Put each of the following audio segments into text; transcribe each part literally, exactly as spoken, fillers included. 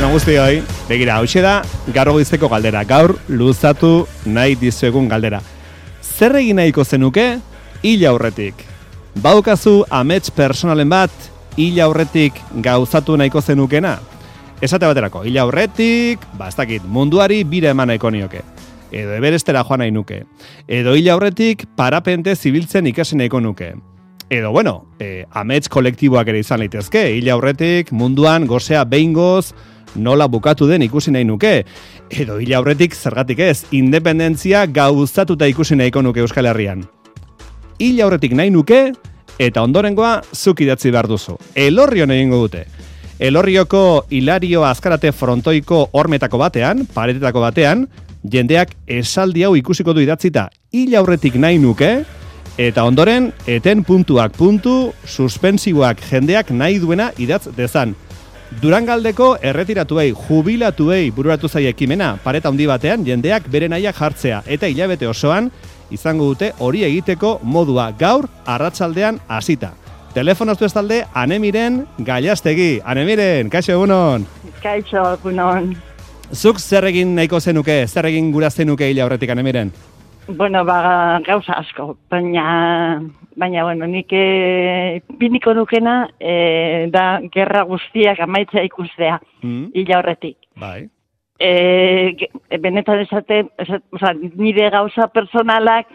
arratsalde on guztioi. Begira, hauxe da gaur goizeko galdera. Gaur luzatu nahi dizuegun galdera. Zer egin nahiko zenuke hil aurretik? Baukazu amets personalen bat hil aurretik gauzatu nahiko zenukena? Esate baterako, hil aurretik, ba, ez dakit, munduari bira eman nahiko nioke. Edo Everestera joan nahi nuke. Edo hil aurretik parapente zibiltzen ikasi nahiko nuke. Edo, bueno, eh, amets kolektiboak ere izan litezke. Hil aurretik munduan gozea behingoz nola bukatu den ikusi nahi nuke. Edo hil aurretik zergatik ez, independentzia gauzatuta ikusi nahiko nuke Euskal Herrian. Hil aurretik nahi nuke, eta ondorengoa zuk idatzi behar duzu. Elorrion egingo dute. Elorrioko Hilario Azkarate frontoiko hormetako batean, paretetako batean, jendeak esaldi hau ikusiko du idatzita hil aurretik nahi nuke, eta ondoren, eten puntuak puntu, suspensiboak jendeak nahi duena idatz dezan. Durangaldeko erretiratuei, jubilatuei bururatu zaie ekimena, pareta handi batean, jendeak bere nahiak jartzea, eta hilabete osoan, izango dute hori egiteko modua gaur arratsaldean hasita. Telefonoz du estalde, Anemiren Gallastegi. Anemiren, kaixo egunon. Kaixo egunon. Zuk zer egin nahiko zenuke, zer egin gura zenuke hil aurretik, Anemiren? Bueno, ba, gauza asko, baina, baina, bueno, nik e, biniko nukena e, da gerra guztiak amaitzea ikustea, mm. hil aurretik. Bai. E, benetan esate, esate, oza, nire gauza personalak,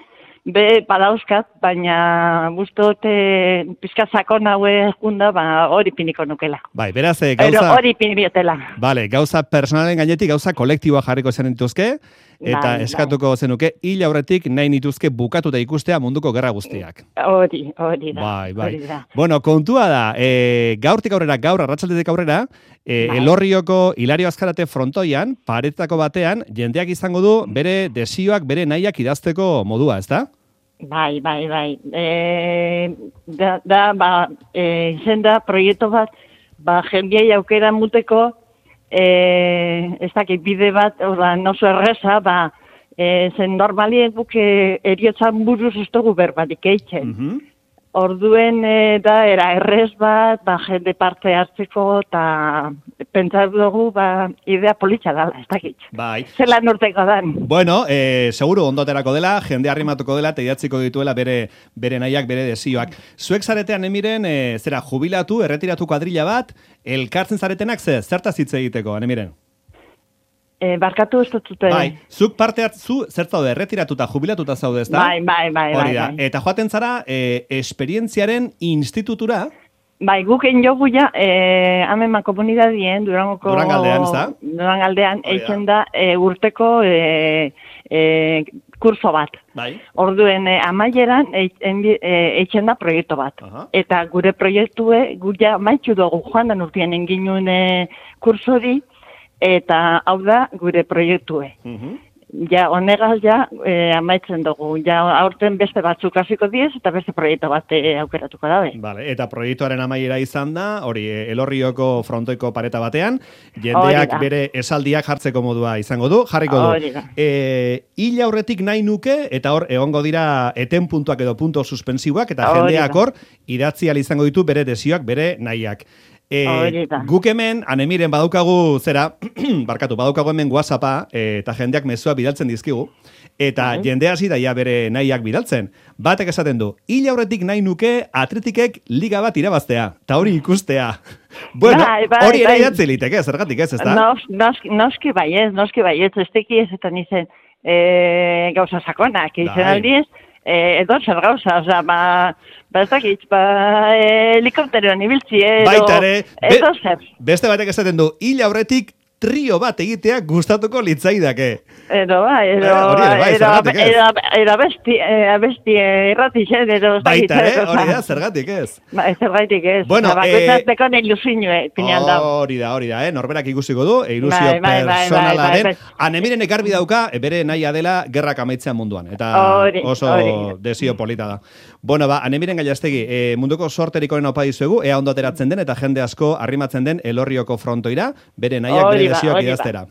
be badauzkat, baina guztote pizkazako naue junda, ba, hori piniko nukela. Bai, beraz, eh, gauza... Ero, hori pinibiotela. Vale, gauza personalen gainetik, gauza kolektiboa jarriko zen dituzke, eta bai, eskatuko bai. zenuke, hil aurretik nahi nituzke bukatuta ikustea munduko gerra guztiak. Hori, hori da. Bai, bai. Hori da. Bueno, kontua da, e, gaurtik aurrera, gaur, arratsaldetik aurrera, e, bai. Elorrioko Hilario Azkarate frontoian, paretako batean, jendeak izango du bere desioak, bere nahiak idazteko modua, ezta? Bai, bai, bai. E, da, da, ba, e, izen da, proiektu bat, ba, jendiai aukera muteko, e, ez dakit bide bat, oda, noso erreza, ba, e, zen normalien buke eriotzan buruz ez dugu berbatik eitzen. Mm-hmm. Orduen e, da, era errez bat, ba, jende parte hartzeko, eta pentsatu dugu, ba, idea politxa dela, ez dakit. Bai. Zelan urteko dan. Bueno, eh, seguru ondoterako dela, jende arrimatuko dela, eta idatziko dituela bere, bere nahiak, bere desioak. Zuek zaretean emiren, e, zera, jubilatu, erretiratu kuadrilla bat, elkartzen zaretenak ze, zertaz hitz egiteko, anemiren? E, barkatu ez dut. Bai, zuk parte hartzu, zer zaude, erretiratuta, jubilatuta zaude, ez da? Bai, bai, bai. Hori da, bai, bai. eta joaten zara, e, esperientziaren institutura... Bai, guken jogu ja, eh, ameman komunidadien, Durangoko... Durangaldean, ez da? Durangaldean, eitzen da, e, urteko e, e, kurso bat. Bai. Orduen, e, amaieran, eitzen da proiektu bat. Aha. Eta gure proiektue, guja maitxu dugu joan da urtean enginuen e, kursori, eta hau da gure proiektue. Uh-huh. Ja, honegaz ja, e, amaitzen dugu. Ja, aurten beste batzuk hasiko diez, eta beste proiektu bat e, aukeratuko dabe. Vale, eta proiektuaren amaiera izan da, hori, Elorrioko frontoiko pareta batean, jendeak bere esaldiak jartzeko modua izango du, jarriko du. E, hil aurretik nahi nuke, eta hor, egongo dira eten puntuak edo punto suspensiboak, eta jendeak hor, idatzi ahal izango ditu bere desioak, bere nahiak. E, guk hemen, Anemiren badaukagu zera, barkatu, badaukagu hemen WhatsAppa, e, eta jendeak mezua bidaltzen dizkigu, eta bai. Jende hasi daia bere nahiak bidaltzen. Batek esaten du, hil aurretik nahi nuke atletikek liga bat irabaztea, eta hori ikustea. Bueno, bai, bai, hori ere bai. Idatzi liteke, zergatik ez, ez da? Nos, nos, noski bai ez, noski bai ez, ez teki ez eta nizen e, gauza sakonak, izan aldiz, e, edo zer gauza, oza, ba... Ba, ez dakit, ba, helikopteroan ibiltzi, edo... Baitare, edo zer. Beste batek esaten du, hil aurretik trio bat egitea gustatuko litzaidake. Edo, ba, edo... Edo abesti, abesti errati zen, edo... Baitare, hori da, zergatik ez. Ba, zergatik ez. Bueno, ba, gozatzeko eh, ilusinue, pinean da. Hori da, hori da, eh? Norberak ikusiko du, ilusio personalaren. Anemiren ekarbi dauka, bere nahia dela gerrak amaitzean munduan. Eta ori, oso ori. Desio polita da. Bueno, ba, Anemiren Gallastegi, eh, munduko sorterik onena opa dizuegu, ea ondo ateratzen den, eta jende asko arrimatzen den Elorrioko frontoira, bere nahiak bere desioak idaztera.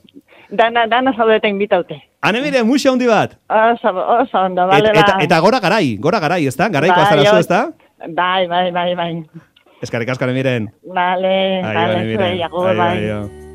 Dana, dana zaudeta invitaute. Anemiren, muxa hundi bat. Oso, oso ondo, bale, et, eta, eta gora garai, gora garai, ez da? Garaiko azarazu, ez da? Bai, bai, bai, bai. Eskarrik asko, Anemiren. Vale, vale, zuei, agur, bai.